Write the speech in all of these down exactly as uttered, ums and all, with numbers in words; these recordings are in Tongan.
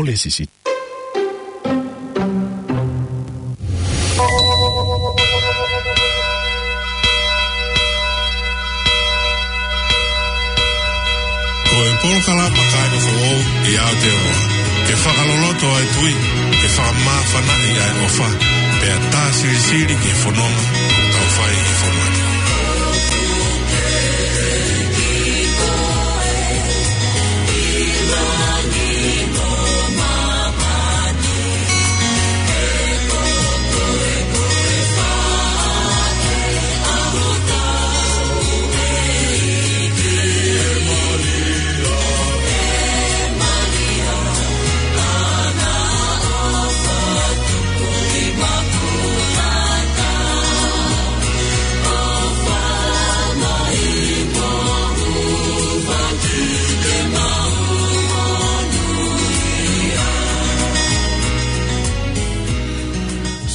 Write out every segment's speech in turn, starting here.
ʻo Lēsisi. Ko e polokalama kāinga foʻou ʻi Aotearoa, ke fakaloloto ʻa e tui, ke fakamāfanaʻi ʻa e ʻofa, pea tā silisili ki he fononga ʻoku tau fai ʻi he fonua ni.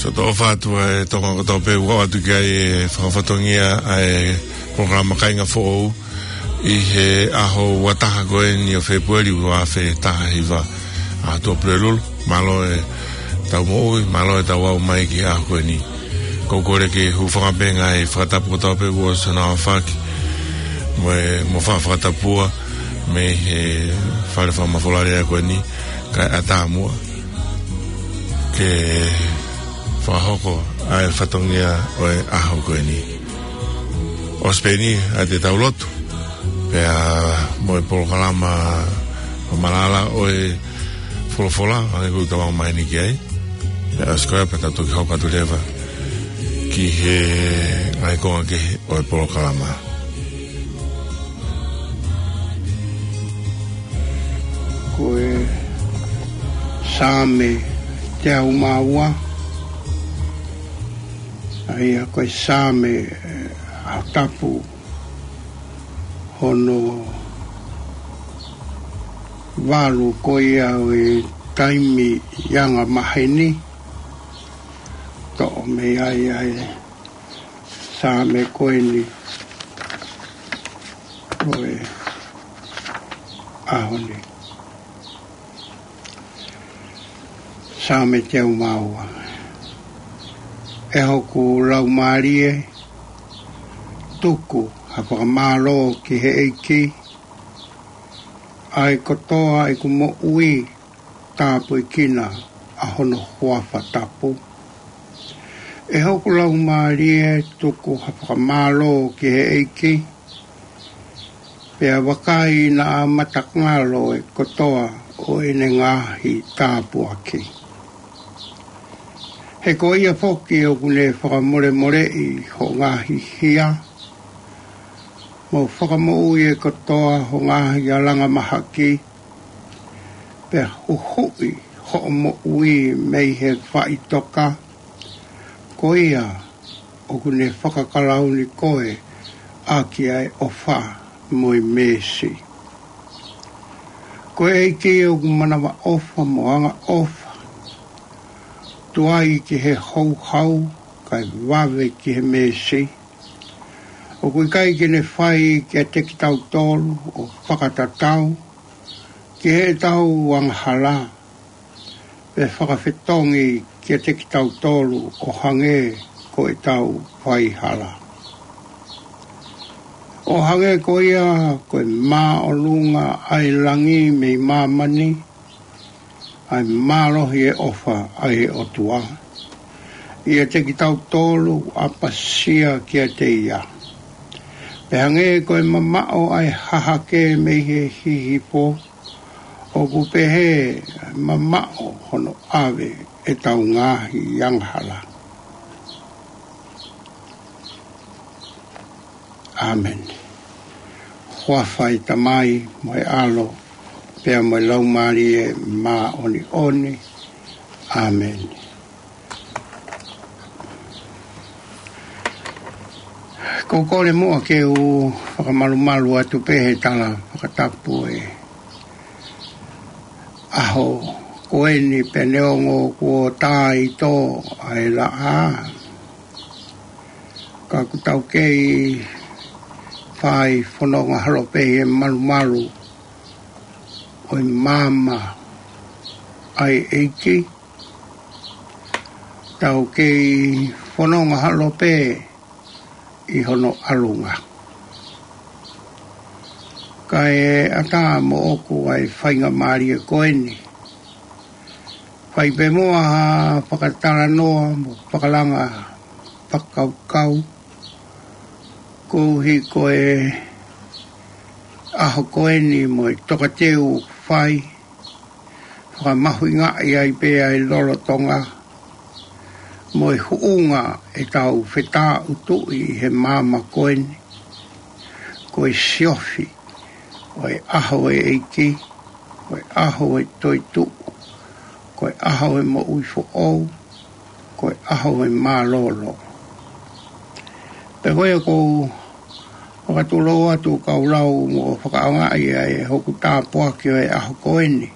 Siʻoto ʻofa atu ʻa e Tonga kotoa pē ʻoku ʻoatu ki ai e fakafatongia ʻa e polokalama Kāinga Foʻou ʻi he ʻaho ua taha ko eni ʻo Fēpueli ua afe taha hiva, ʻaho Tuʻapulelulu. Mālō e tau moʻui, mālō e tau aʻu mai ki he ʻaho ko eni. Ko e kole ke hūfanga pē ngaahi fakatapu kotoa pē kuo ʻosi hono aofaki mo e, mo fa-, fakatapua mei he fale fakamafola lea ko eni, kae ʻatā muʻa ke fakahoko ʻa e fatongia ʻo e ʻaho ko eni. ʻOsi pē eni ʻa e tau lotu, pea mo e polokalama ʻo malala ʻo e folofola, ʻa ia ʻoku tau aʻu mai eni ki ai. Pea ʻosi ko ia pea tau toki hoko atu leva ki he ngaahi konga kehe ʻo e polokalama. Ko e Saame teau mā ua, ʻa ia ko e Saame, eh, ʻa e tapu hono valu ko ia ʻo e taimi ʻi anga maheni, toʻo mei ai ʻa e Saame ko eni ʻo e ʻaho ni. Saame teau mā ua. ʻE hoku laumālie, tuku ha fakamālō ki he ʻEiki, ʻa e kotoa ʻeku moʻui, tāpuekina ʻa hono huafa tapu. ʻE hoku laumālie, tuku ha fakamālō ki he ʻEiki, pea vakai naʻa matangalo e kotoa ʻo ʻene ngaahi tāpuaki. He ko ia foki ʻoku ne fakamolemoleʻi hoʻo ngaahi hia, mo fakamoʻui e kotoa ho ngaahi alanga mahaki, pea huhuʻi hoʻo moʻui mei he faʻitoka. Ko ia ʻoku ne fakakalauni koe ʻaki ʻa e ʻofa mo e meesi. Ko e ʻEiki ʻoku manavaʻofa mo angaʻofa, tuai ki he houhau, kae vave ki he meesi. ʻOku ʻikai ke ne fai kiate kitautolu ʻo fakatatau ki heʻetau angahala, pe fakafetongi kiate kitautolu ʻo hangē ko ʻetau faihala. ʻO hangē ko ia ko e māʻolunga ʻa e langi mei māmani, ʻa e mālohi e ʻofa ʻa e ʻOtua ʻiate kitautolu ʻoku ʻapasia kiate ia. Pea hangē ko e mamaʻo ʻa e hahake mei he hihifo, ʻoku pehē mamaʻo hono ʻave ʻetau ngaahi angahala. ʻĀmeni. Huafa ʻo e Tamai mo e ʻAlo, pea mo e Laumālie Māʻoniʻoni. ʻĀmeni. Ko e kole muʻa ke u fakamalumalu atu pē he tala fakatapu ʻo e ʻaho ko eni, pea neongo kuo tā ʻi tō ʻa e laʻā, ka ʻoku tau kei fai fononga holo pē he malumalu ʻo e maama ʻa e ʻEiki, tau kei fononga holo pē ʻi hono ʻalunga. Kae ʻatā moʻoku ʻa e faingamālie ko eni. Fai pē muʻa ha fakatalanoa mo fakalanga fakakaukau. Koeʻuhi ko e ʻaho ko eni mo e tokateu ʻoku fai, fakamahuʻingaʻi ai pē ʻa e lolotonga, mo e huʻunga ʻetau fetāʻutuʻi he māmani ko eni, ko e siofi ʻo e ʻaho ʻo e ʻEiki, ko e ʻaho ʻo e toetuʻu, ko e ʻaho ʻo e moʻui foʻou, ko e ʻaho ʻo e mālōlō. Pea ko ia ʻoku ou fakatulou atu kau lau mo fakaʻaongaʻi ʻa e hoku tāpuaki ʻo e ʻaho ko eni.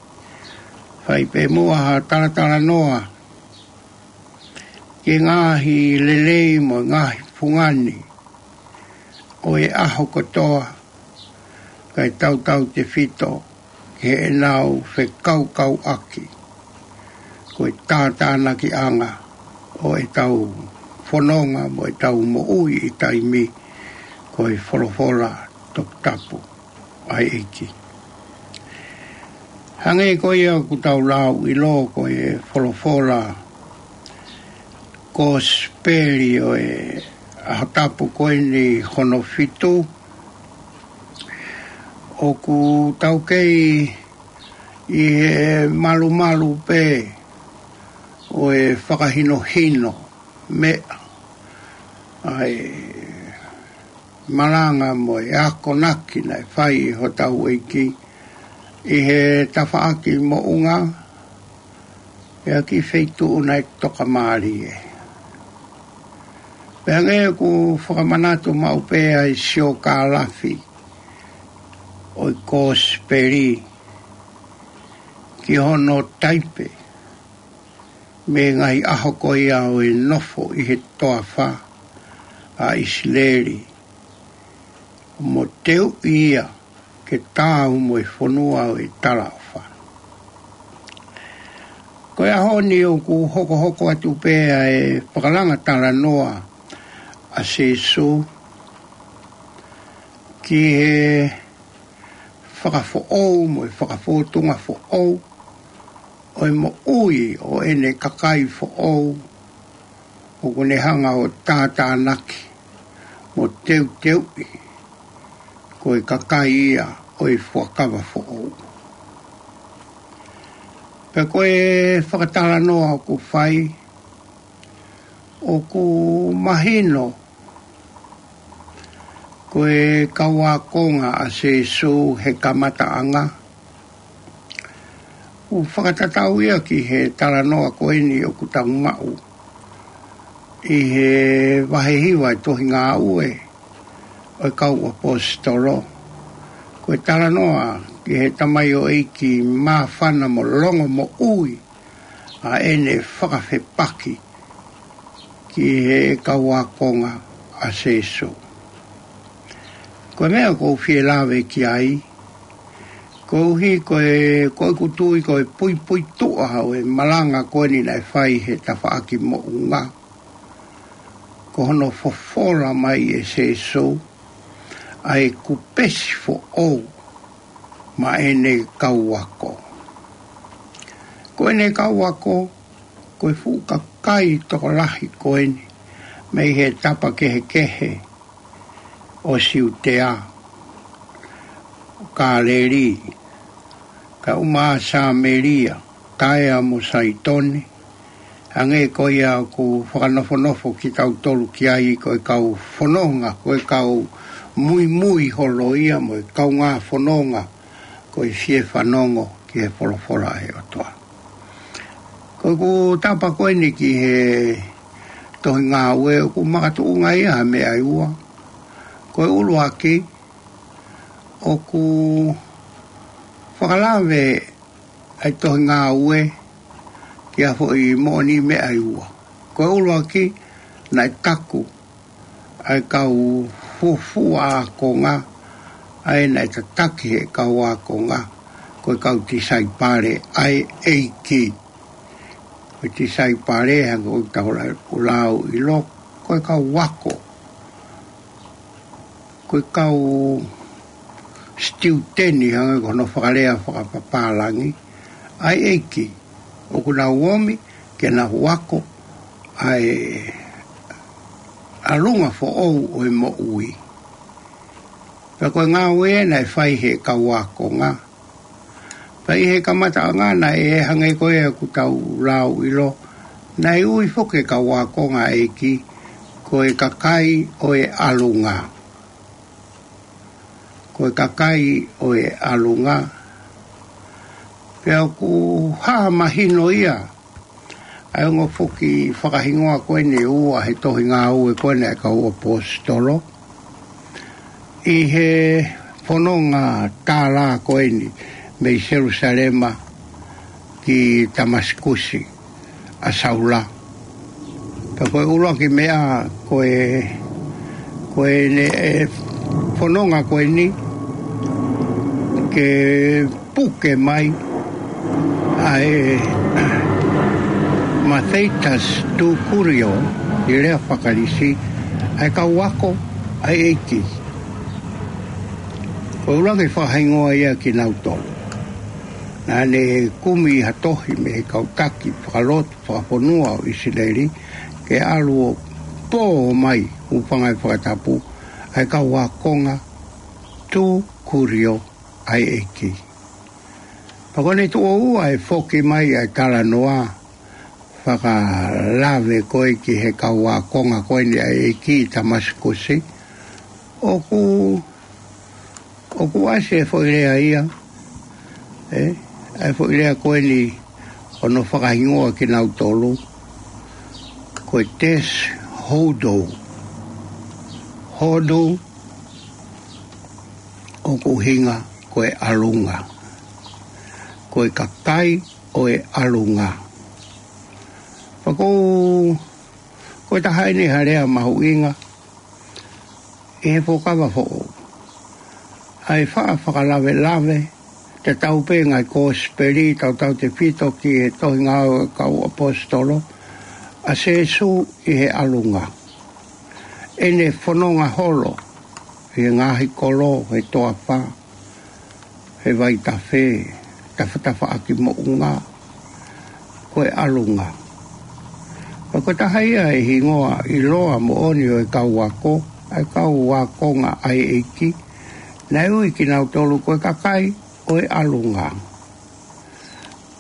Fai pē muʻa ha talatalanoa ki he ngaahi lelei mo e ngaahi fungani ʻo e ʻaho kotoa, kae tautautefito ki heʻenau fekaukauʻaki ko e tātānakiʻanga ʻo ʻetau fononga mo ʻetau moʻui ʻi taimi, ko e folofola toputapu ʻa e ʻEiki. Hangē ko ia ʻoku tau lau ʻilo, ko e folofola Kosipeli ʻo e ʻaho tapu ko eni hono fitu, ʻoku tau kei ʻi he malumalu pē ʻo e fakahinohino meʻa ʻa e malanga mo e akonaki naʻe fai ʻe hotau ʻEiki ʻi he tafaʻaki moʻunga, ʻi ha kiʻi feituʻu naʻe tokamālie. Pea hangē ʻoku fakamanatu maʻu pē ʻa e siokālafi ʻo e Kosipeli ki hono taipe mei he ngaahi ʻaho ko ia ʻo e nofo ʻi he toafa ʻa ʻIsileli, mo teuʻi ia ke taau mo e fonua ʻo e talaʻofa. Ko e ʻaho ni ʻoku hokohoko atu pē ʻa e fakalanga talanoa ʻa Sīsū ki he fakafoʻou mo e fakafōtunga foʻou ʻo e moʻui ʻo ʻene kakai foʻou, ʻoku ne hanga ʻo tātānaki mo teuteuʻi ko e kakai ia ʻo e fuakava foʻou. Pea ko e fakatalanoa ʻoku fai, ʻoku mahino ko e kau ākonga ʻa Sīsū he kamataʻanga. ʻOku fakatatau ia ki he talanoa ko eni ʻoku tau maʻu ʻi he vahe hiva ʻo e tohi Ngāue ʻo e Kau ʻAposetolo. Ko e talanoa ki he tamaioʻeiki māfana mo longomoʻui ʻa ʻene fakafepaki ki he kau ākonga ʻa Sīsū. Ko e meʻa ʻoku ou fie lave ki ai, koeʻuhi ko e, ko ʻeku tui ko e puipuituʻa ʻo e malanga ko eni naʻe fai he tafaʻaki moʻunga, ko hono fofola mai ʻe Sīsū ʻa e kupesi foʻou maʻa ʻene kau ako. Ko ʻene kau ako, ko e fuʻu kakai tokolahi ko eni mei he tapa kehekehe ʻo Siutea, ʻo Kāleli, kae ʻumaʻā Sāmelia, Taea mo Saitone, hangē ko ia ʻoku fakanofonofo kitautolu ki ai, ko e kau fononga, ko e kau muimui holo ia mo e kaungā fononga, ko e fie fanongo ki he folofola ʻa e ʻOtua. Ko ʻeku tapa ko eni ki he tohi Ngāue ʻoku makatuʻunga ia ha meʻa ʻe ua. Ko e ʻuluaki, ʻoku fakalave ʻa e tohi Ngāue ki ha foʻi moʻoniʻi meʻa ʻe ua. Ko e ʻuluaki, naʻe taku ʻa e kau fuofua ākonga, ʻa ē naʻe tataki he kau ākonga, ko e kau tisaipale ʻa e ʻEiki. Ko e tisaipale, hangē ko ʻetau lau ʻilo, ko e kau ako. Ko e kau sitiuteni, hangē ko hono fakalea fakapapālangi, ʻa e ʻEiki. ʻOku nau ōmi ke nau ako ʻa e ʻalunga foʻou ʻo e moʻui. Pea ko e ngāue ē naʻe fai he kau ākonga. Pea ʻi he kamataʻanga naʻe hangē ko ia ʻoku tau lau ʻilo, naʻe ui foki e kau ākonga ʻa e ʻEiki ko e kakai ʻo e ʻalunga. Ko e kakai ʻo e ʻalunga. Pea ʻoku hā mahino ia ʻa e ongo foki fakahingoa ko eni ʻe ua he tohi ngāue ko eni ʻa e kau ʻaposetolo. ʻI he fononga tālā ko eni mei Selusalema ki Tamasikusi ʻa Saula. Pea ko e ʻuluaki meʻa ko e, ko ʻene fononga ko eni ke puke mai ʻa e mathetas tu kurio, ʻi he lea faka-Kalisi, ʻa e kau ako ʻa e ʻEiki. Ko e ʻuluaki fakahingoa ia kinautolu. Naʻa ne kumi ha tohi mei he kau taki fakalotu fakafonua ʻo ʻIsileli, ke ʻalu ʻo pō mai, hūfanga he fakatapu, ʻa e kau ākonga tu kurio ʻa e ʻEiki. Pea ko ʻene tuʻo ua ʻe foki mai ʻa e talanoa fakalave ko ē ki he kau ākonga ko eni ʻa e ʻEiki ʻi Tamasikusi. ʻOku, ʻoku ʻasi e foʻi lea ia, ē, ʻa e foʻi lea ko eni ʻo hono fakahingoa kinautolu, ko e tes hodo. Hodo ʻoku ʻuhinga ko e ʻalunga. Ko e kakai ʻo e ʻalunga. Pea ko, ko e taha eni ha lea mahuʻinga ʻi he Fuakava Foʻou. ʻA e faʻa fakalavelave, tatau pē ngaahi kosipeli, tautautefito ki he tohi ngāue ʻa e kau ʻaposetolo, ʻa Sīsū ʻi he ʻalunga. ʻEne fononga holo ʻi he ngaahi kolo, he toafa, he vaitafe, tafatafaʻaki moʻunga, ko e ʻalunga. Pea ko e taha ia e hingoa ʻiloa moʻoni ʻo e kau ako, ʻa e kau ākonga ʻa e ʻEiki, naʻe ui kinautolu ko e kakai ʻo e ʻalunga.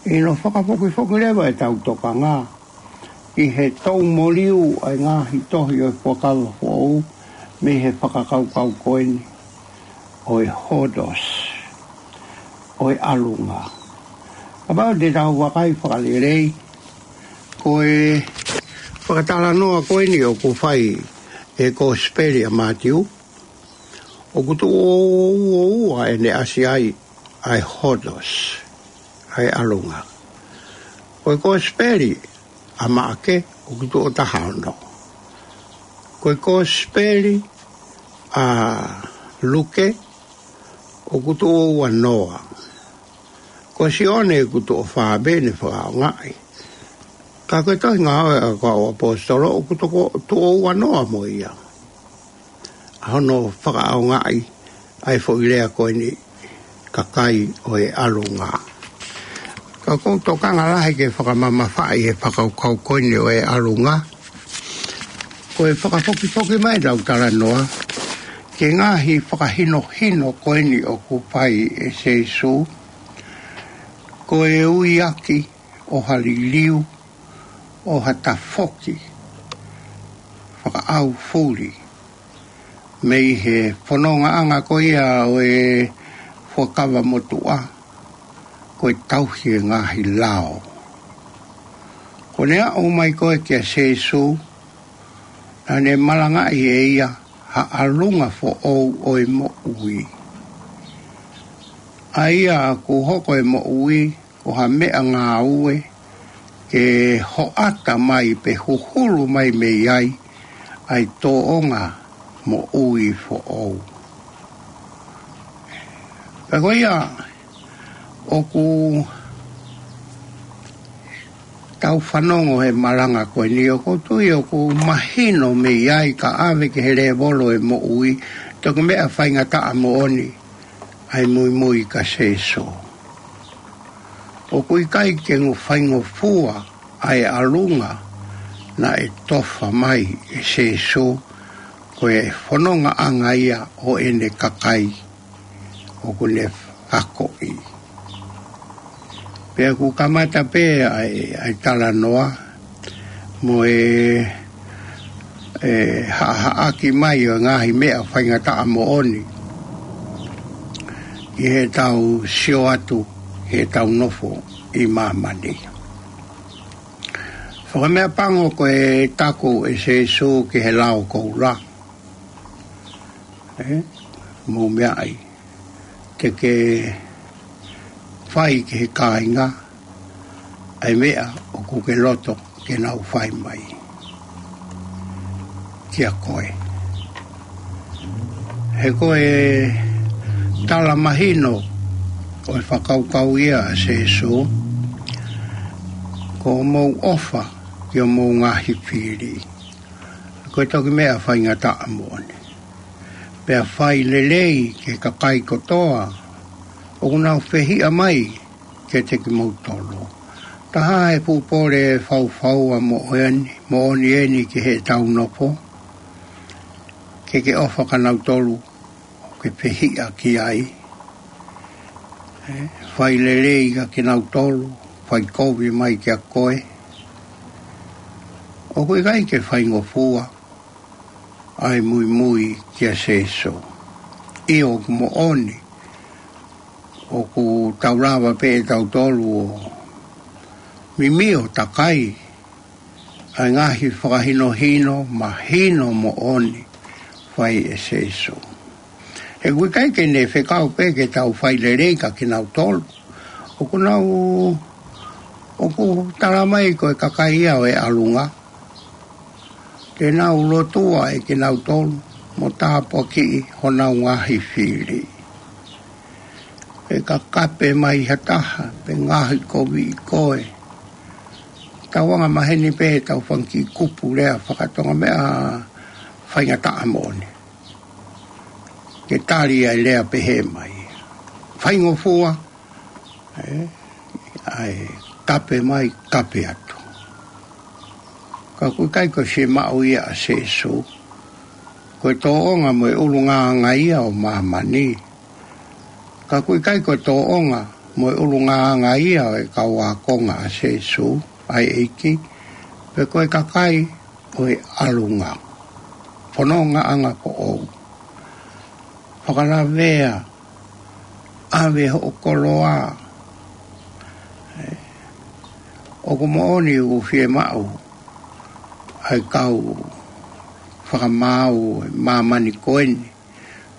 ʻI hono fakafokifoki leva ʻetau tokanga ki he tau moliu ʻa e ngaahi tohi ʻo e Fuakava Foʻou mei he fakakaukau ko eni ʻo e hodos, ʻo e ʻalunga. Kapau te tau vakai fakalelei, ko e fakatalanoa ko eni ʻoku fai ʻe he kosipeli ʻa Mātiu, ʻoku tuʻo ua ʻene ʻasi ai ʻa e hodos, ʻa e ʻalunga. Ko e kosipeli ʻa Maʻake ʻoku tuʻo taha ono. Ko e kosipeli ʻa Luke ʻoku tuʻo ua noa. Ko Sione ʻoku tuʻo fā pē ʻene fakaʻaongaʻi. Ka ko e tohi ngāue ʻa e kau ʻaposetolo ʻoku tuʻo, tuʻo ua noa mo ia ʻa hono fakaʻaongaʻi ʻa e foʻi lea ko eni, kakai ʻo e ʻalunga. Ka ʻoku ou tokanga lahi ke fakamamafaʻi e fakakaukau ko eni ʻo e ʻalunga. Ko e fakafokifoki mai ʻetau talanoa ki he ngaahi fakahinohino ko eni ʻoku fai ʻe Sīsū, ko e ui ʻaki ʻo ha liliu, ʻo ha tafoki fakaʻaufuli mei he fonongaʻanga ko ia ʻo e Fuakava Motuʻa, ko e tauhi e ngaahi lao. Ko ʻene aʻu mai ko ē kia Sīsū, naʻa ne malangaʻi ʻe ia ha ʻalunga foʻou ʻo e moʻui. ʻA ia ʻoku hoko e moʻui ko ha meʻangāue ke hoʻata mai pe huhulu mai mei ai ʻa e tōʻonga moʻui foʻou. Pea ko ia, ʻOku tau fanongo he malanga ko eni, ʻoku ou tui ʻoku mahino mei ai ka ʻave ki he lēvolo e moʻui, toki meʻa faingataʻa moʻoni ʻa e muimui kia Sēsū. ʻOku ʻikai ke ngu faingofua ʻa e ʻalunga naʻe tofa mai ʻe Sēsū, ko e fonongaʻanga ia ʻo ʻene kakai ʻoku ne akoʻi. Pea ʻoku kamata pē ʻa e, ʻa e talanoa mo e, e haʻahaʻaki mai ʻo e ngaahi meʻa faingataʻa moʻoni ʻi heʻetau sio atu heʻetau nofo ʻi māmani. Fakameʻapango ko e taku ʻe Sēsū ki he lao koula, ē, mou meaʻi, te ke fai ki he kāinga ʻa e meʻa ʻoku ke loto ke nau fai mai kia koe. He ko e tala mahino ʻo e fakakaukau ia ʻa Sēsū, ko hoʻomou ʻofa ki hoʻomou ngaahi fili, ko e toki meʻa faingataʻa moʻoni. Pea fai lelei ki he kakai kotoa ʻoku nau fehiʻa mai kiate kimoutolu. Taha e pupole faufaua moʻoni, moʻoni eni ki heʻetau nofo, ke ke ʻofa kia nautolu ʻoku ke fehiʻa ki ai. Ē, fai lelei kia kinautolu ʻoku fai kovi mai kia koe. ʻOku ʻikai ke faingofua ʻa e muimui kia Sēsū. ʻIo, ʻoku moʻoni ʻoku tau lava pē ʻe tautolu ʻo mimio takai ʻa e ngaahi fakahinohino mahino moʻoni fai ʻe Sēsū. He ʻoku ʻikai ke ne fekau pē ke tau fai lelei kia kinautolu ʻoku nau, ʻoku tala mai ko e kakai ia ʻo e ʻalunga. Te nau lotua ʻe kinautolu mo tāpuakiʻi honau ngaahi fili. Pea ka kape mai ha taha pe ngaohikoviʻi koe, tau angamaheni pē ʻetau fanga kiʻi kupu lea fakatonga, meʻa faingataʻa moʻoni ke tali ʻa e lea pehē mai. Faingofua, ē, ʻa e kape mai, kape atu. Ka ʻoku ʻikai ko e fiemaʻu ia ʻa Sēsū. Ko e tōʻonga mo e ʻulungaanga ia ʻo māmani. Ka ʻoku ʻikai ko e tōʻonga mo e ʻulungaanga ia ʻo e kau ākonga ʻa Sēsū, ʻa e ʻEiki, pe ko e kakai ʻo e ʻalunga. Fonongaʻanga foʻou. Fakalavea, ʻave hoʻo koloa. Ē, ʻoku moʻoni ʻoku fiemaʻu ʻa e kau fakamaau ʻo e māmani ko eni,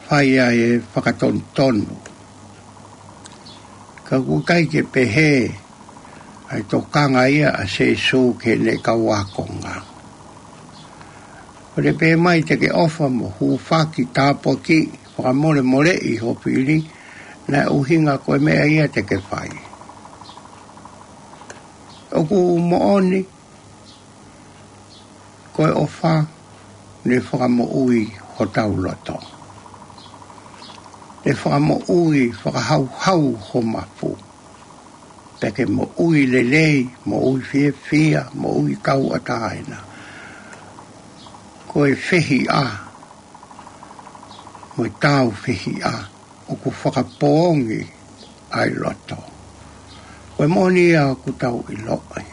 fai ʻa e fakatonutonu. Ka ʻoku ʻikai ke pehē ʻa e tokanga ia ʻa Sēsū ki heʻene kau ākonga. ʻOku ne pehē mai te ke ʻofa mo hūfaki, tāpuakiʻi, fakamolemoleʻi ho fili, naʻe ʻuhinga ko e meʻa ia te ke fai. ʻOku moʻoni ko e ʻofa ne fakamoʻui hotau loto. Ne fakamoʻui, fakahauhau ho mafu. Pea ke moʻui lelei, moʻui fiefia, moʻui tauʻatāina. Ko e fehiʻa mo e tāufehiʻa ʻoku fakapoongi ʻa e loto. Ko e moʻoni ia ʻoku tau ʻiloʻi.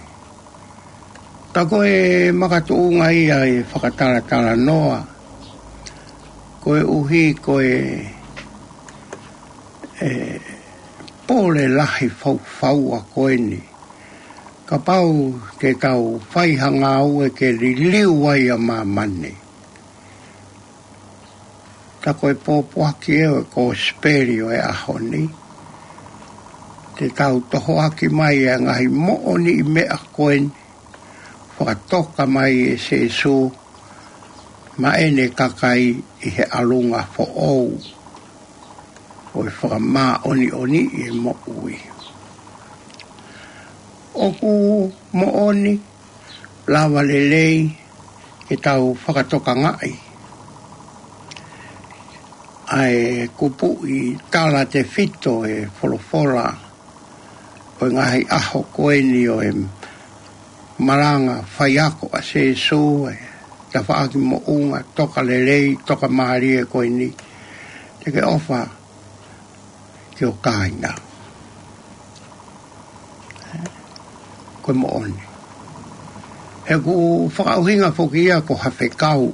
Ka ko e makatuʻunga ia ʻe fakatalatalanoa, koeʻuhi ko e, e pole lahi faufaua ko eni. Kapau te tau fai ha ngāue ke liliu ai ʻa māmani, ka ko e pōpoaki ʻo e kosipeli ʻo e ʻaho ni, te tau tohoaki mai ʻa e ngaahi moʻoniʻi meʻa ko eni, fakatoka mai ʻe Sēsū maʻa ʻene kakai ʻi he ʻalunga foʻou ʻo e fakamāʻoniʻoniʻi e moʻui. ʻOku moʻoni, lava lelei ke tau fakatokangaʻi ʻa e kupuʻi talatefito ʻo e folofola ʻo e ngaahi ʻaho ko eni ʻo e malanga faiako ʻa Sēsū, ʻa e tafaʻaki moʻunga, tokalelei, tokamālie ko eni. Te ke ʻofa ki ho kāinga. Ko e moʻoni. He ʻoku fakaʻuhinga foki ia ko ha fekau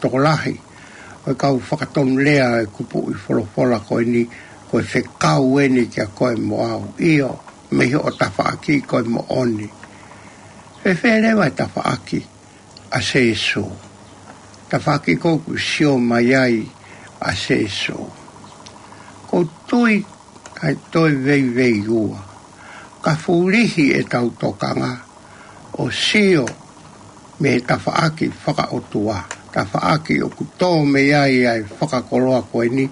tokolahi ʻo e kau fakatonulea ʻo e kupuʻi folofola ko eni, ko e fekau eni kia koe mo au. ʻIo, mei hoʻo tafaʻaki ko e moʻoni. Fēfē leva e tafaʻaki ʻa Sēsū? Tafaʻaki ʻoku sio mai ai ʻa Sēsū. ʻOku ou tui ʻe toe veiveiua, ka fulihi ʻetau tokanga ʻo sio mei he tafaʻaki fakaʻotua, tafaʻaki ʻoku tō mei ai ʻa e fakakoloa ko eni,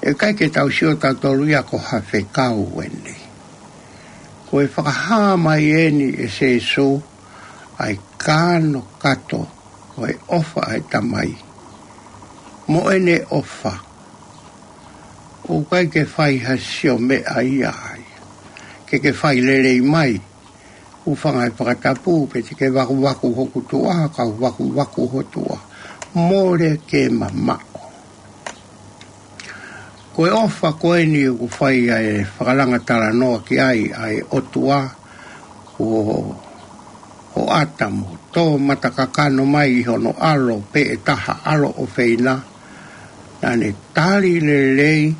ʻe ʻikai ke tau sio tautolu ia ko ha fekau eni. Ko e fakahā mai eni ʻe Sēsū ʻa e kanokato ʻo e ʻofa ʻa e Tamai mo ʻene ʻofa. ʻOku ʻikai ke fai ha sio meʻa ia ai. Ke ke fai lelei mai, hūfanga he fakatapu, pe te ke vakuvaku hoku tuʻa, kau vakuvaku ho tuʻa. Mole ke mamaʻo. Ko e ʻofa ko eni ʻoku fai ʻa e fakalanga talanoa ki ai ʻa e ʻOtua, ko hoʻata mo tō matakakano mai ʻi hono ʻAlo pē ʻe taha, ʻAlo ʻofeina, naʻa ne tali lelei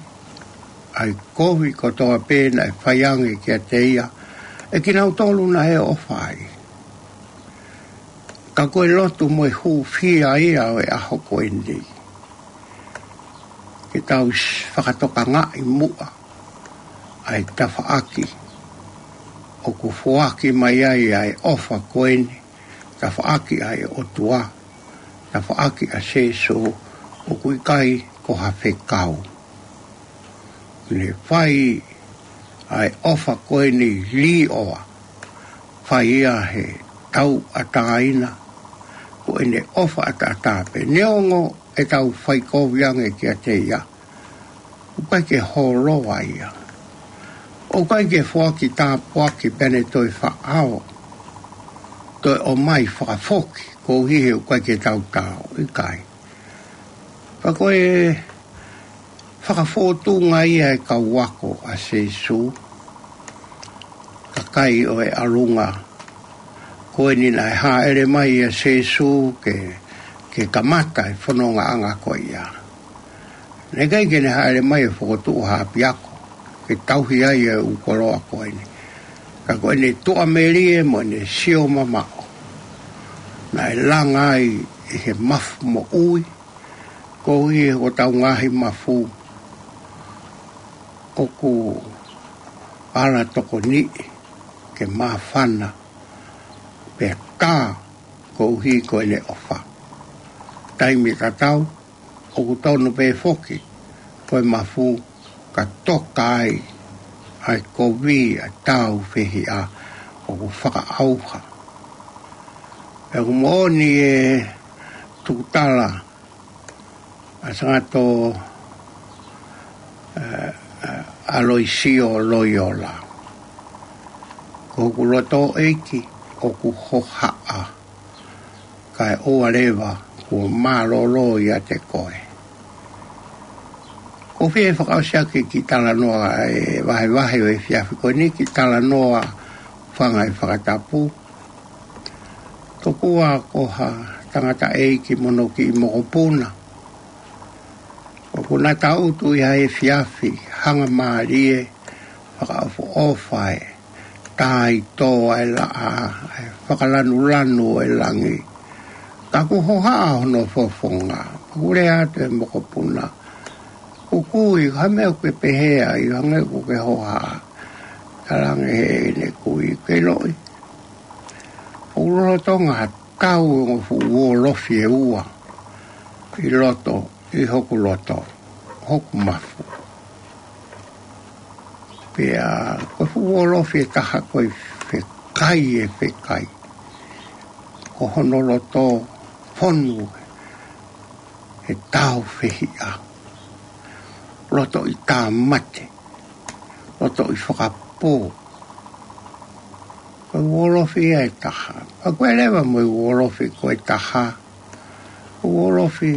ʻa e kovi kotoa pē naʻe fai ange kiate ia ʻe kinautolu naʻe ʻofa ai. Ka ko e lotu mo e hūfia ia ʻo e ʻaho ko eni, ke tau s-, fakatokangaʻi muʻa ʻa e tafaʻaki ʻoku foaki mai ai ʻa e ʻofa ko eni, tafaʻaki ʻa e ʻOtua, tafaʻaki ʻa Sēsū, ʻoku ʻikai ko ha fekau. Ne fai ʻa e ʻofa ko eni līʻoa, fai ia he tauʻatāina, ko ʻene ʻofa ʻataʻatā pē. Neongo ʻetau fai kovi ange kiate ia, ʻoku ʻikai ke hōloa ia. ʻOku ʻikai ke foaki tāpuaki pea ne toe faʻao, toe ʻomai fakafoki, koeʻuhi he ʻoku ʻikai ke tau tao, ʻikai. Ka ko e fakafōtunga ia e kau ako ʻa Sēsū, kakai ʻo e ʻalunga ko eni naʻe hāʻele mai ʻa Sēsū ke, ke kamata e fonongaʻanga ko ia. Naʻe ʻikai ke ne hāʻele mai ʻo fokotuʻu ha ʻapiako ke tauhi ai e ʻū koloa ko eni. Ka ko ʻene tuʻamelie mo ʻene sio mamaʻo, naʻe langa ai ʻi he mafu moʻui, koeʻuhi ko ʻetau ngaahi mafu ʻoku ala tokoniʻi ke māfana pea tā koeʻuhi ko ʻene ʻofa. Taimi tatau, ʻoku tonu pē foki ko e mafu ka toka ai ʻa e kovi ʻa e tāufehiʻa ʻoku fakaʻauha. Pea ʻoku moʻoni e tukutala ʻa Sangato, ē, ē, Aloisio Loiola: Ko hoku loto, ʻEiki, ʻoku hohaʻa, kae ʻoua leva kuo mālōlō ʻiate koe. ʻOku ou fie fakaʻosi ʻaki e kiʻi talanoa ʻo e vahevahe ʻo e efiafi ko eni, kiʻi talanoa fanga e fakatapu. Tokua ko ha tangataʻeiki mo hono kiʻi mokopuna, ʻoku na tangutu ʻi ha efiafi hangamālie, fakaʻofoʻofa e tāito ʻa e laʻā, ʻa e fakalanulanu ʻo e langi. Ka ʻoku hohaʻa hono fofonga. Pea ʻoku lea atu e mokopuna: Ko e kui, ko e hā e meʻa ʻoku ke pehē ai, hangē ʻoku ke hohaʻa? Talaange ʻe heʻene kui: ʻOku ʻiloʻi, ʻoku lolotonga tau e ongo fuʻu uolofi ʻe ua ʻi loto, ʻi hoku loto, hoku mafu. Pea ko e fuʻu uolofi ʻe taha ko e fe- kai e fekai. Ko hono loto fonu he tāufehiʻa. Lotoʻi tāmate. Lotoʻi fakapō. Ko e uolofi ia ʻe taha. Pea ko e leva mo e uolofi ko e taha. Ko e uolofi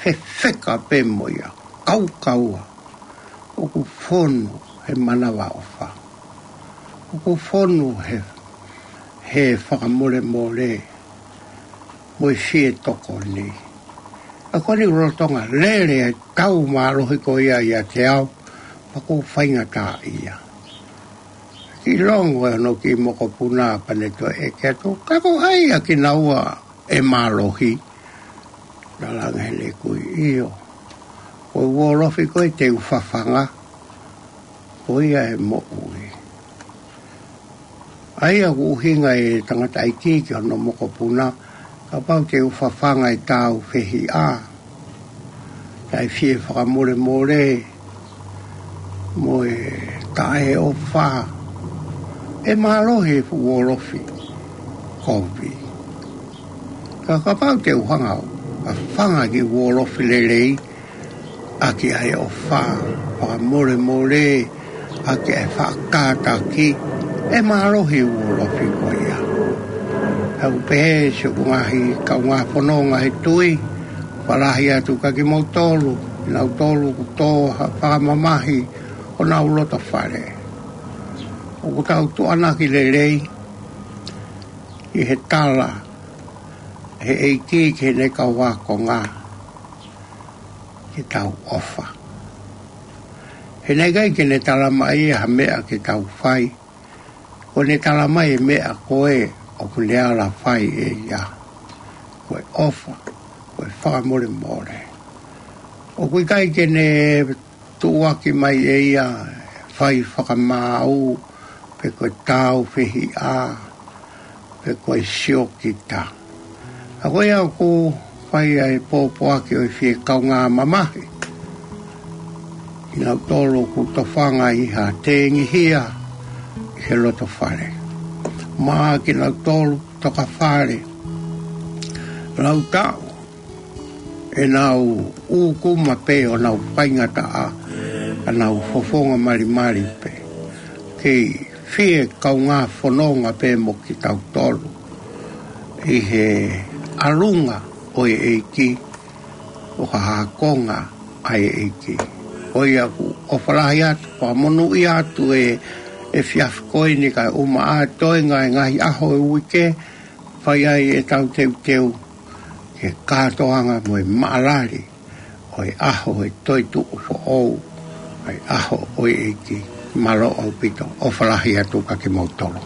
fefeka pē mo ia. Kaukaua. ʻOku fonu he manavaʻofa. ʻOku fonu he, he fakamolemole mo e fie tokoni. ʻA ko eni lolotonga lele ʻa e tau mālohi ko ia ʻiate au, pea ʻoku ou faingataʻaʻia. Kiʻi longo ʻa hono kiʻi mokopuna pea ne toe ʻeke atu, ka ko hai ʻa kinaua ʻe mālohi? Talaange ʻe he kui, ʻio. Ko e uolofi ko ē te u fafanga, ko ia ʻe moʻui. ʻA ia ʻoku ʻuhinga e tangataʻeiki ki hono mokopuna, kapau te u fafanga e tāufehiʻa, taʻe fie fakamolemole, mo e taʻeʻofa, ʻe mālohi e fuʻu uolofi kovi. Ka kapau te u hanga ʻo fafanga e kiʻi uolofi lelei, ʻaki ʻa e ʻofa, fakamolemole, ʻaki ʻa e faʻa kātaki, ʻe mālohi e uolofi ko ia. He ʻoku pehē siʻoku ngaahi kaungā fononga he tui, fakalahi atu kia kimoutolu, kinautolu kuo tō ha fakamamahi ʻo honau loto fale. ʻOku tau tuʻuaki lelei ʻi he tala ʻe he ʻEiki ki heʻene kau ākonga ke tau ʻofa. He naʻe ʻikai ke ne tala mai ha meʻa ke tau fai, ko ʻene tala mai e meʻa ko ē ʻoku ne ala fai ʻe ia. Ko e ʻofa, ko e fakamolemole. ʻOku ʻikai ke ne tuʻuaki mai ʻe ia fai fakamaau, pe ko e tāufehiʻa, pe ko e siokita. ʻA ko ia ʻoku fai ai e pōpoaki ʻo e fie kaungā mamahi. Kinautolu ʻoku tofanga ʻi ha tengihia ʻi he loto fale. Mo kinautolu toka fale. Lau taʻu ʻenau ʻūkuma pē ʻo nau faingataʻa, ka nau fofonga malimali pē. Kei fie kaungā fononga pē mo kitautolu ʻi he ʻalunga ʻo e ʻEiki, ʻo ka ākonga ʻa e ʻEiki. Ko ia ʻoku ou ʻofa lahi atu, fakamonūʻia atu e, e efiafi ko eni kae ʻumaʻā e toenga e ngaahi ʻaho e uike, fai ai ʻetau teuteu ki he kātoanga mo e maʻalali ʻo e ʻaho e toetuʻu foʻou, ʻa e ʻaho ʻo e ʻEiki. Mālō ʻaupito, ʻofa lahi atu kia kimoutolu.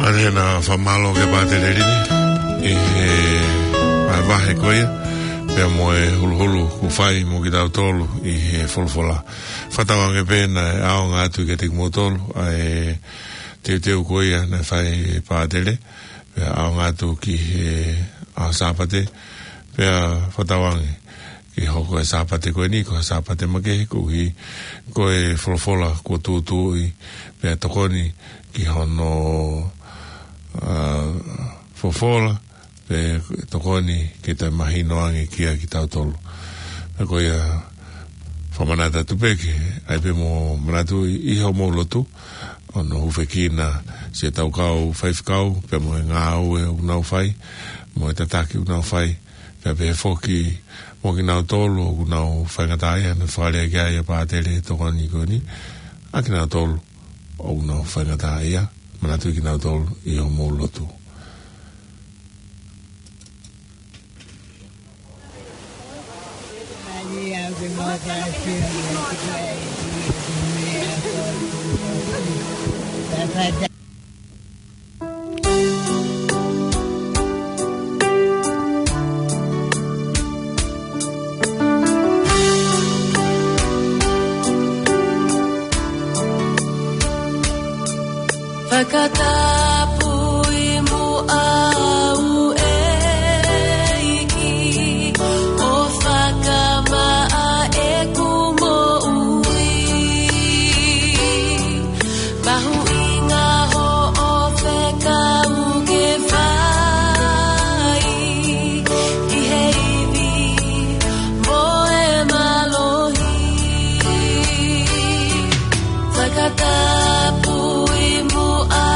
ʻAi hena fakamālō ki he pātele ʻi he vahevahe ko ia, pea mo e huluhulu kuo fai mo kitautolu ʻi he folofola. Fakatauange pē naʻe ʻaonga atu kiate kimoutolu ʻa e teuteu ko ia naʻe fai ʻe he pātele, pea ʻaonga atu ki he ʻaho Sāpate, pea fakatauange ke hoko e Sāpate ko eni ko e Sāpate makehe, koeʻuhi ko e folofola kuo tūtuuʻi, pea tokoni ki hono, ʻa, folofola, pea tokoni ke toe mahino ange kiate kitautolu. Pea ko ia, fakamanatu atu pē ke ʻai pē mo manatuʻi ʻi hoʻomou lotu, ʻo ne hūfekina siʻetau kau faifekau, pea mo e ngāue ʻoku nau fai, mo e tataki ʻoku nau fai, pea pehē foki mo kinautolu ʻoku nau faingataʻaʻia, naʻe fakalea ki ai ʻa e pātele tokoni ko eni, ʻa kinautolu ʻoku nau faingataʻaʻia, manatuʻi kinautolu ʻi hoʻomou lotu. Fakatapui muʻa au, ʻEiki, ʻo fakamaʻa ʻeku moʻui. Mahuʻinga hoʻo fekau ke fai ʻi he ivi mo e mālohi. Fakatapui muʻa